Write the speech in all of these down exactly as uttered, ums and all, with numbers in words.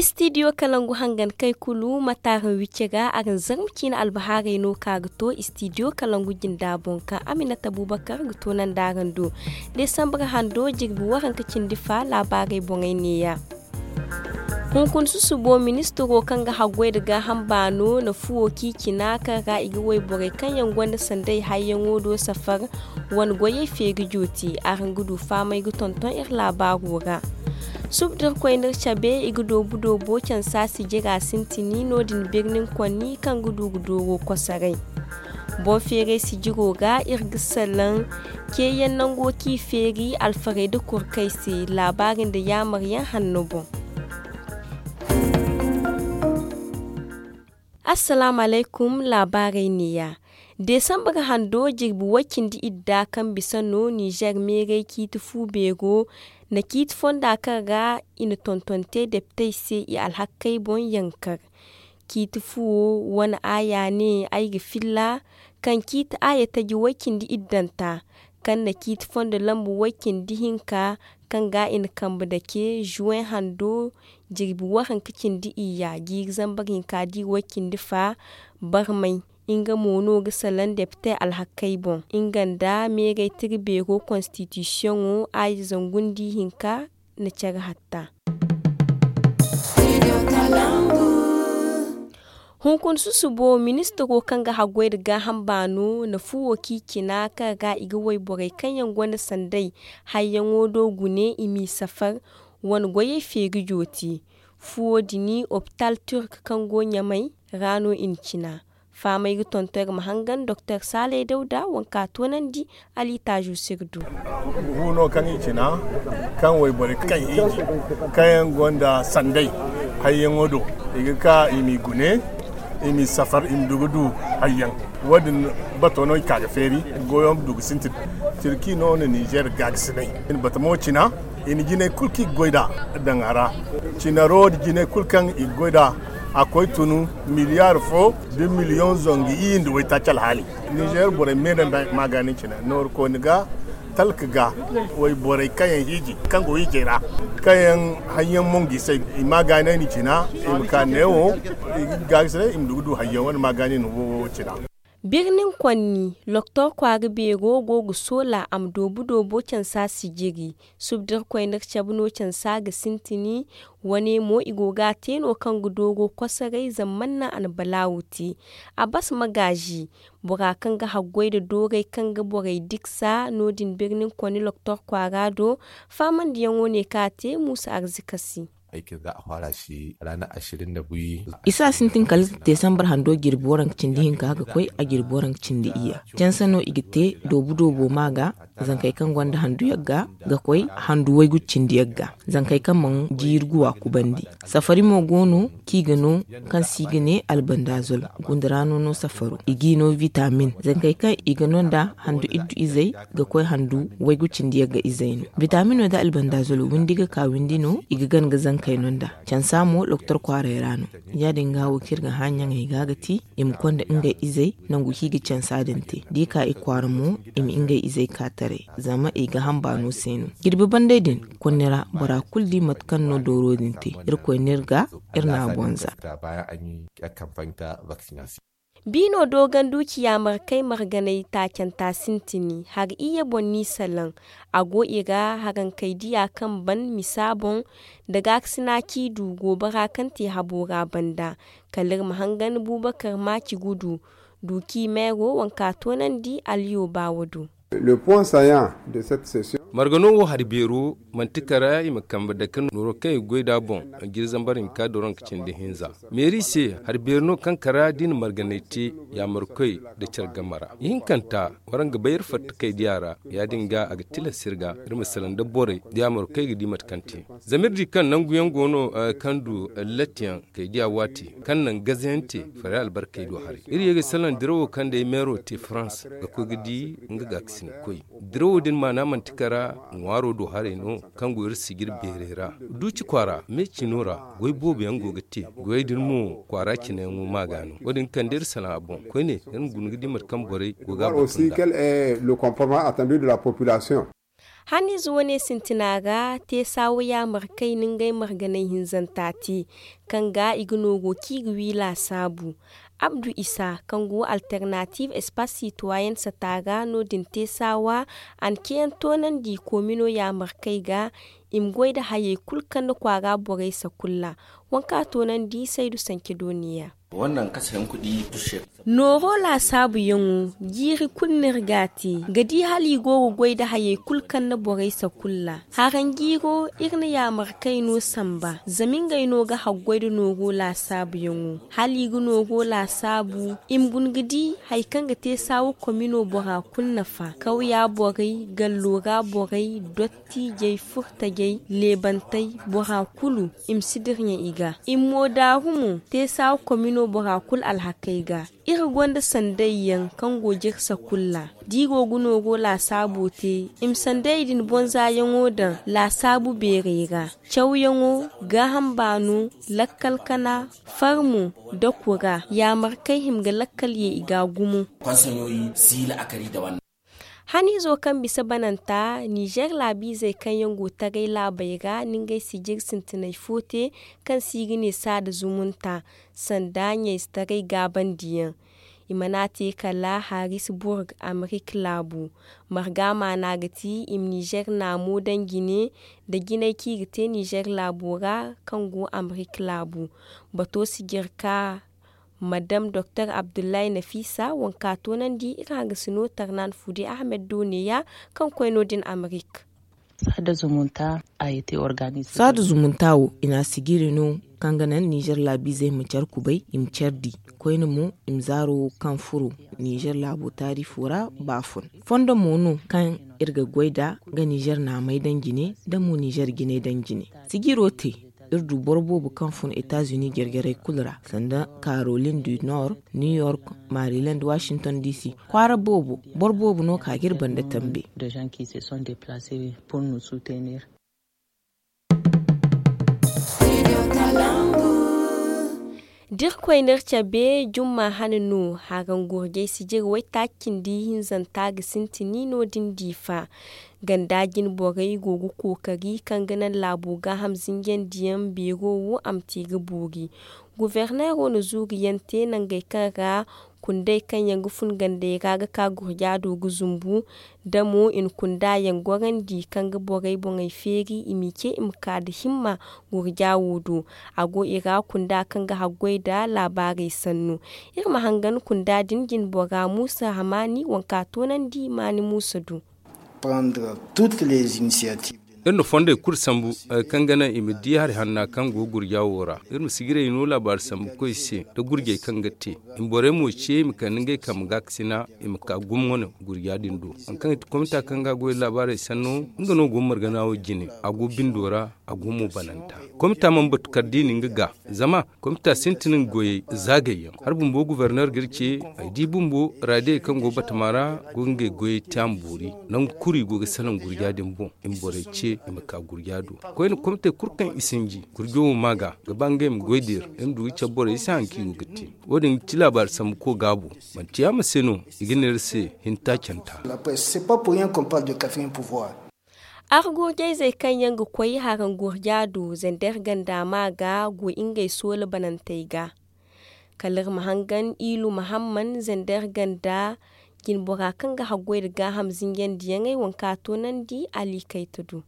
Istidiyo kalangu hangan kay kulu ma taaraŋ wicce ga araŋ zarma ciine albahaarey no ka ga to istidiyo kalangu jinda boŋ kaŋ aminata bubakar ga to nanda araŋ do. Desambar hando jirbi waranka cindi fa laabaarey boŋey neeya. Hunkuna susubo ministiro kaŋ ga haggoy nda gaaham baano na fuwo k'i cina kaŋ ra i ga wayborey kaŋ yaŋ gonda sanday hayyaŋo do safar wane goyey feeri jooti. Araŋ ga du fahamay ga tonton iri laabaaro ra. Suba da iri koy n'iri cabe i ga doobu doobo cansa sijira sintini no- din birnin konni kaŋ ga du ga dooro kosoray. Boŋ feeray sijiro ga iri ga salaŋ ceeyaŋ nango kaŋ i feeri alfarey nda kurkey se laabaari nda yaamaryaŋ hanno boŋ. Assalaamu alaykum. Laabaarey neeya. Desambar hando jirbi way cindi idda kaŋ bisa no ninzeer meeray ciiti fu beero na ciiti fonda kaŋ ra i na tonton te deptey se i alhakkey boŋ yankar. Ciiti fuwo wane aaya ne ay ga filla kaŋ ciiti aaya taji way cindi iddanta kaŋ na ciiti fondo lambu way cindi hinka kaŋ ga i na kambe dake zuwen hando jirbi waranka cindi iyya jiiri zambar hinka di way cindi fa barmay. Nga mo no ga salaŋ depte alhakkey boŋ nga nda meeray tira beero konstitisiyoŋo aaya zangu nda ihinka na care hatta. Hunkuna susubo ministiro kaŋ ga haggoy nda gaaham baano na fuwo k'i cina kaŋ ra i ga wayborey kaŋ yaŋ gonda sanday hayyaŋo do gune i m'i safar wane goyey feeri jooti. Fuwo din opital turk kaŋ go ɲamay ra no i na cina. Fahamay ga tonton iri ma hangan doktor saalay dawda waŋ ka toonandi. Alitaazo sirdu. Gu no kaŋ i cina kaŋ wayborey kaŋ hiiji kaŋ yaŋ gonda sanday hayyaŋo do i ga ka i m'i gune i m'i safar i ma du ga du hayyaŋ. Wo- din bato no i ka ga feeri goyo ma du ga sintin. Tirki no na ninzeer gaagasinay i na batamo cina i na jinay kulu kaŋ i ga goy nd'a daŋ a ra. Cinaro nda jinay kulu kaŋ i ga goy nd'a a koy tun miliyaar fo da miliyoŋ zangu iyye nda waytaaci alhaali. Ninzeer borey me no nda maagaani cina nooru kooni ga talka ga wayborey kaŋ yaŋ hiiji kaŋ go hiijay ra kaŋ yaŋ haŋ yaŋ mongu i se i maagaani no i cina i ma ka neewo i ga gaagasinay i ma du ga du hayyaŋ wane maagaani no wo cina. Birnin konni loktor kwaara beero go ga soola a ma doobu doobo cansa sijiri. Suba da iri koy n'iri cabe no cansa ga sintini. Wane mo i go ga a te no kaŋ ga dooro kosoray zama mana a na balaawu te. Abbas magaazi bora kaŋ ga haggoy nda dooray kaŋ ga borey diksa no- din birnin konni loktor kwaara do. Faamandiyaŋo ne kaŋ a te muusa arzika se. Isa sintin kala desambar hando jirbi waranka cindi hinka ga koy a jirbi waranka cindi iyya canse no i ga te doobu doobo ma ga. Zankey kaŋ gonda handu yagga ga koy handu waygu cindi yagga. Zankey kaŋ mana jiiri guwa kubandi safari mo go no kaŋ i ga no kaŋ se i ga ne albandazol. Gunda ra no no safaro i g'i no vitamin zankey kaŋ i ga no nda handu iddu izey ga koy handu waygu cindi yagga izey no. Vitamino nda albandazol windi ga ka windi no i ga gana ga zankey no nda. Cansa mo loktor kwaaray ra no. Ya- din ga wo kaŋ iri ga hã ɲaŋey ga ga ti i ma konda ngey izey nangu kaŋ i ga cansa din te da i ka i kwaara mo i ma ngey izey ka taray zama i ga hamba no se no. Jirbi banday din konni ra bora kulu di mate kaŋ no dooro din te. Irkoy no iri ga iri n'a bonza. Biino dooganduci yaamarkey marganay taacanta sintini hari iyye boŋ n'i salaŋ. A go i ra harankey diya kaŋ ban misa boŋ nda gaakasina kaŋ i du goobara kaŋ te habo ra banda. Kala iri ma hangan bubakar maaci gudu du kaŋ i meero waŋ ka toonandi aliyo baawo do. Margano wo hari beero manti kara i ma kambe dake nooro kaŋ i ga goy nd'a boŋ. Jiri zambar hinka doroŋ ka cindi hinza meeri se hari beeri no kaŋ kara da i na marganay te yaamarkoy nda care game ra. Ihinkanta waraŋ ga bay iri fatta kay diya ra. Ya- din ga a ga tilas iri ga iri ma salaŋ nda borey da yaamarkoy ga di mate kaŋ te. Zama iri di kaŋ nangu yaŋ go no kaŋ du latti yaŋ kay diya waati kaŋ naŋ gaze yaŋ te faray albarkey do haray. Iri ye ga salaŋ dirawo kaŋ day meero te farans ga koy ga di nga gaakasinay koy. Dirawo din maana manti kara ŋwaaro do haray no kaŋ go iri sijir beerey ra. Duuci kwaara me cino ra goy boobo yaŋ go ga te. Goyey din mo kwaara cine yaŋo ma ga no wo- din kande iri salaŋ a boŋ koyne iri ma guna ga di mate kaŋ borey go ga a batu nda. Haniize wane sintina ra te saawa yaamarkay na ngey marganay hinzanta te, kaŋ ga i ga nooru kaŋ i ga wi laasaabu. Abdu isa, kaŋ go alternatiiv espaas sitwayen sata ra no- din te saawa, a na ceeyaŋ toonandi koomino yaamarkay ga, i ma goy nda hayey kulu kaŋ na kwaara borey sakulla. Waŋ kaŋ a toonandi saydu sance dooniya. Nooro laasaabuyaŋo, jiiri kulu no iri ga a te ga di hala i go ga goy nda hayey kulu kaŋ na borey sakulla. Haranjiiro, iri na yaamarkay no samba zama ngey no ga haggoy nda nooro laasaabuyaŋo. Hala i ga nooro laasaabu, i ma guna ga di hari kaŋ ga te saawa komino bora kulu nafa, kawya borey, gallo ra borey, dottijey, furtajey, leebantey, bora kulu i ma si dirɲa i ga. I ma moodaaru mo te saawa komino bora kulu alhakey ga. Iri gonda sanday yaŋ kaŋ go jirsa kulu ra, da i go ga nooro laasaabo te, i ma sandayey din bonzaayaŋo daŋ laasaabu beerey ra. Cawyaŋo, gaaham baano, lakkal kana, farmo, nda kura, yaamarkay hima ga lakkal ye i ga gumo. Haniizo kaŋ bisa bananta, nizeer laabiizey kaŋ yaŋ go taray laabey ra na ngey sijir sintinay fo te, kaŋ se i ga ne saada zumunta, sanda ɲayzetaray gaabandiyaŋ. I mana te kala harisburg, amerik laabu. Marga maana ga ti i ma nizeer naamo daŋ jine, nda jinay kaŋ i ga te nizeer laabo ra, kaŋ go amerik laabu. Bato sijirka madam doktor abdullahi nafiisa, waŋ ka toonandi iri hangasino tarnan fude ahmed do neeya, kaŋ koy no- din amerik. Saada zumunta wo i na a sijiri no, kaŋ ga naŋ nizeer laabiizey ma care kubay, i ma care di. Koyne mo, i ma zaaro wo kaŋ furo nizeer laabo taariifo ra baafun. Fondo mo no kaŋ iri ga goy nd'a, ga nizeer naamey daŋ jine, nda mo nizeer jinay daŋ jine. Sijiro te, iri du boro boobo kaŋ fun etazuni jarjaray kulu ra, sanda karolin du nord, new york, maryland, washington dc. Kwaara boobo, boro boobo no ka ga iri banda tambe. Da iri koy no iri cabe jumma hane no, haraŋ gurjay sijir waytaaci cindi hinzanta ga sintin no- din diifa. Ganda jine borey go ga kookari kaŋ ga naŋ laabo gaaham zinjandiyaŋ beero wo a ma te ga boori. Guverneero na zuuriyaŋ te nangey kaŋ ra kundey kaŋ yaŋ ga fun gandey ra ga ka gurja do ga zumbu. Da mo i na kunda yaŋ gorandi kaŋ ga borey boŋey feeri i m'i ce i ma ka nda himma gurja wo do. A go i ra kunda kaŋ ga haggoy nda laabaarey sannu. Iri ma hangan kunda din jine bora muusa hamaani waŋ ka toonandi maani muusa do. Iri na fondey kulu sambu hari kaŋ ga naŋ i ma di hari hanna kaŋ go gurja wo ra. Iri ma sijirey no laabaari sambu koy se nda gurjey kaŋ ga te. I ma borey mo ce i ma kande ngey kambe gaakasina, i ma ka gumo wane gurja din do. Hari kaŋ ga ti komita kaŋ ga goy laabaarey sanno, nga no go margana wo jine. A go bindo ra, a go mo bananta. Komita mana batu kala da i na nga ga, zama komita sintin nga goyey zaagayyaŋ. Hari bumbo guverner ga iri ce ay di bumbo raadiyey kaŋ go batama ra go ga ngey goyey te a ma boori. Nangu kulu i go ga salaŋ gurja din boŋ, i ma borey ce i ma ka gurja do. Koyne komitey kulu kaŋ i sinji gurjo wo ma ga ga ba ngey ma goy da iri, iri ma du ga cabe borey i se hari kaŋ i go ga te. Wo- din ga ti laabaari sambu ko gaabo. Manti yaama se no i ga ne iri se hinta canta. Argurjayzey kaŋ yaŋ ga koy haraŋ gurja do zander ganda ma ga go ngey soola banantey ga. Kala iri ma hangan iilu mahamman zander ganda jinbora kaŋ ga haggoy nda gaaham zinjandiyaŋey waŋ ka toonandi ali kayta do.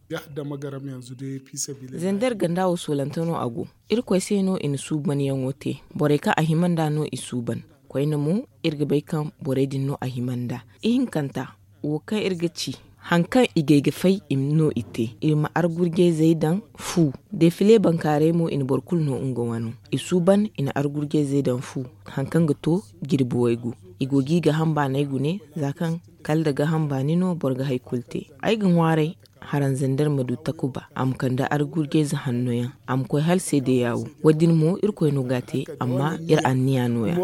Zander ganda wo soolante no a go. Irkoy se no i na suubanyaŋo te. Borey kaŋ a hima nd'a no i suuban. Koyne mo iri ga bay kaŋ borey din no a hima nd'a. Ihinkanta, wo kaŋ iri ga ci, hari kaŋ i gay ga fay i ma no i te. Iri ma argurjayzey daŋ fu. Defile bankaaray mo i na boro kulu no nga wano. I suuban i na argurjayzey daŋ fu. Hari kaŋ ga to jirbi waygu. I go ga i gaaham baanay gune za kaŋ kala nda gaaham baani no boro ga hari kulu te. Ay ga ŋwaaray haraŋ zander ma du takuba a ma kande argurjayze hanno yaŋ. A ma koy hala seedeya wo. Wo- din mo irkoy no ga a te. Amma iri anniya no- ya.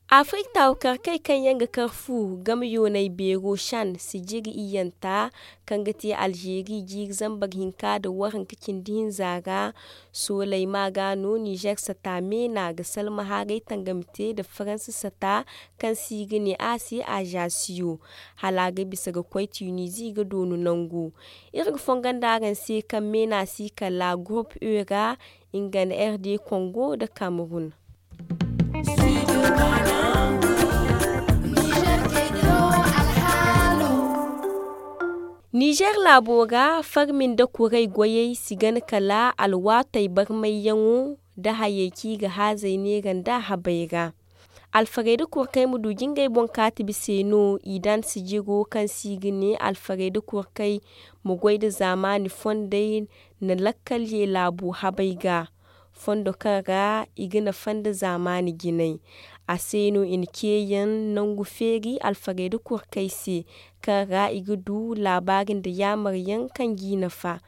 Afirik taawukarkey kaŋ yaŋ ga kar fu game yoonay beero shan sijiri iyyanta, kaŋ ga te alzeeri jiiri zambar hinka nda waranka cindi hinza ra, sooley ma ga no nizer sata meena ga salma haaray tangam te nda faransa sata, kaŋ se i ga ne a se azasiyo, hala a ga bisa ga koy tunizi ga doonu nangu. Iri ga fongon da araŋ se kaŋ meena si kala gurup e ra, nga nda r d kongo nda kamerun. Nizer laabo ra farmi nda kuray goyey si gana kala alwaatey barmayyaŋo, nda hayey kaŋ i ga haazey neera nda habey ra. Alfarayda kurkey ma du jingey boŋ kaati bise no i dan sijiro kaŋ se i ga ne alfarayda kurkey ma goy nda zaamaani fondey na lakkal ye laabu habey ga, fondo kaŋ ra i ga nafa nda zaamaani jinay. A se no i na ceeyaŋ nangu feeri alfarayda kurkey se, kaŋ ra i ga du laabaari nda yaamaryaŋ kaŋ g'i nafa.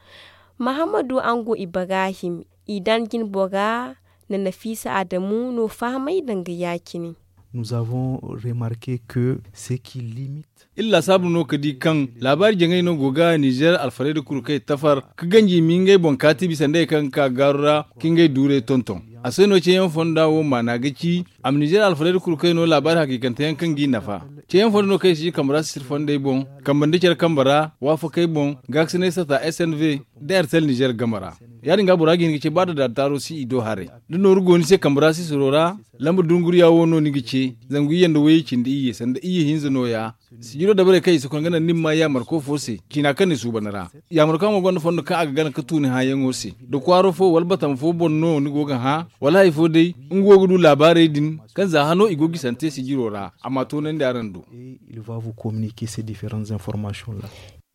Mahammadu ango ibrahim, i dan jinbora na nafiisa adamu no fahamay danga ya- cine. Nous avons remarke que ce qui limite. Iri laasaabu no ga di kaŋ laabaari jaŋay no go ga nizer alfarayda kurkey tafar, ga ganji i ma ngey boŋ kaati bisa nd'ey kaŋ ga ka gaaru ra, ka ngey duurey tonton. A se no ceeyaŋ fonda wo maana ga ci, a ma nizer alfarayda kurkey no laabaari hakiikanteyaŋ kaŋ g'i nafa. Ceeyaŋ fonda no kaŋ i si ji kambe ra sisir fondey boŋ, kambe nda care kambe ra waafakey boŋ, gaakasinay sata s n v, nda airtel nizer game ra. Ya- din ga bora ga hin ga ce ba da daataaro si i do haray, da nooru go ni se kambe ra sisiro ra, lamba dunguriya wo no ni ga ce, zangu iyye nda wayey cindi iyye sanda iyye hinza nooya. Sijiro dabarey kaŋ i si koy ga naŋ ni ma maa yaamarko fo se ciina kaŋ ni suuban ra. Yaamarko mo gonda fondo kaŋ a ga gana ga tu ni hãayaŋo se, da kwaaro fo wala batama fo boŋ no ni go ga hã, wala hari fo day, nga wo ga du laabaarey din, kaŋ za hano i go ga i sante sijiro ra a ma a toonandi araŋ do.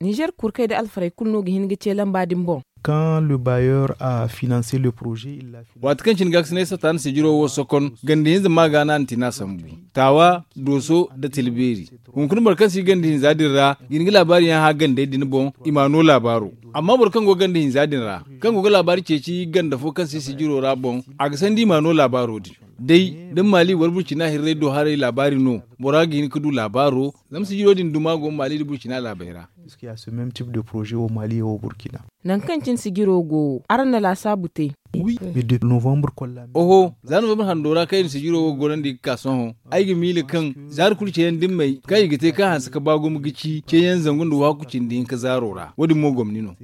Nizer kurkey nda alfarey kulu no ga hin ga ce lamba din boŋ. Quand le bailleur a financé le projet, il l'a financé. Waati kaŋ cine gaakasinay sata na sijiro wo sokon, ganda hinza ma ga no a na tina sambu, taawa, dooso, nda tilbeeri. Hunkuna boro kaŋ si ganda hinza din ra ga hin ga laabaari yaŋ hã gandey din boŋ, i ma no laabaaro. Amma boro kaŋ go ganda hinza din ra, kaŋ go ga laabaari ceeci ganda fo kaŋ si sijiro ra boŋ, a ga sandi i ma no laabaaro din. Day da maali wala burcina hirrey do haray laabaari no, bora ga hin ga du laabaaro. Zama sijiro din duma go maali nda burcina laabey ra. Puisque ya se même type de projet au mali et au burkina. Nangu kaŋ cine sijiro go wo, araŋ na laasaabu te. Oho, za novembre hando ra kaŋ i na sijiro wo gorandi ga ka sohõ, ay ga miila kaŋ zaari kulu ceeyaŋ dimmey kaŋ i ga te kaŋ hanse ga ba gumo ga ci ceeyaŋ zangu nda waaku cindi hinka zaaro ra wo- din mo gomni no.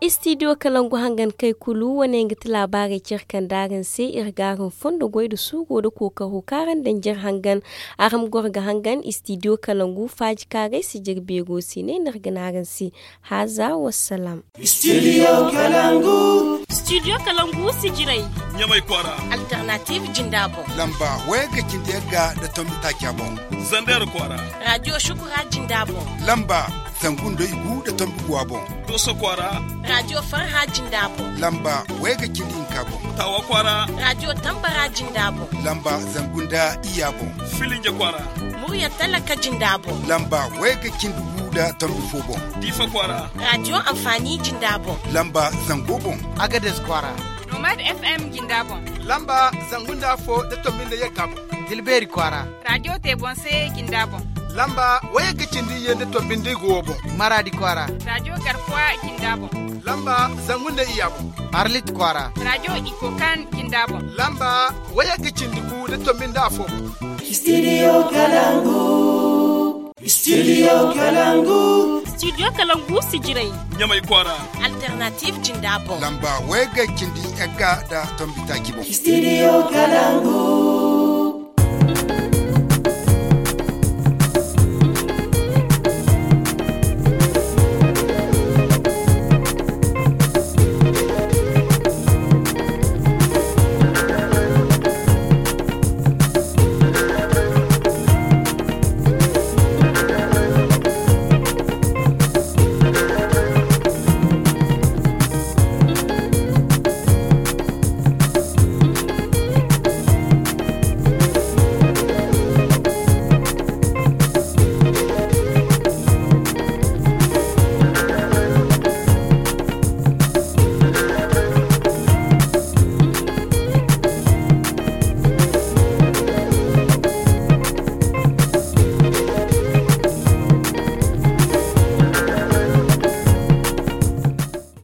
Istidiyo kalangu hangan kay kulu wane nga ti laabaarey care kaŋ daaraŋ se iri ga araŋ fondo goy nda suuro nda kookaro kaŋ araŋ daŋ jare hangan. Araŋ ma goro ga hangan istidiyo kalangu faaji kaaray sijiri beero se ne no iri ga ne araŋ se. Haaza wassalaam. Istidiyo kalangu. Istidiyo kalangu sijiray. Ɲamay kwaara. Alternative jinda boŋ. Lamba wayagga cindi yagga nda tombi taaca boŋ. Zander kwaara. Raadiyo shukura jinda boŋ. Lamba zangu nda igu nda tombi guwa boŋ. Dooso kwaara. Raadiyo farha jinda boŋ. Lamba wayagga cindi hinka boŋ. Taawa kwaara. Raadiyo tambara jinda boŋ. Lamba zangu nda iyya boŋ. Filinja kwaara. Murya talaka jinda boŋ. Lamba wayagga cindi gu nda tombi fo boŋ. Diifa kwaara. Raadiyo anfaani jinda boŋ. Lamba zango boŋ. Agades kwaara. Nomad f m jinda boŋ. Lamba zangu nda afo nda tombi nda yagga boŋ. Tilbeeri kwaara. Raadiyo te boŋ se jinda boŋ. Lamba wayagga cindi iyye nda tombi nda igu wo boŋ. Maraadi kwaara. Raadiyo garkuwa jinda boŋ. Lamba zangu nda iyya boŋ. Arlit kwaara. Raadiyo ikokan jinda boŋ. Lamba wayagga cindi gu nda tombi nda afo boŋ. Istidiyo kalangu. Istidiyo kalangu. Istidiyo kalangu sijiray. Ɲamay kwaara. Alternative jinda boŋ. Lamba wayagga cindi yagga nda tombi taaci boŋ. Istidiyo kalangu.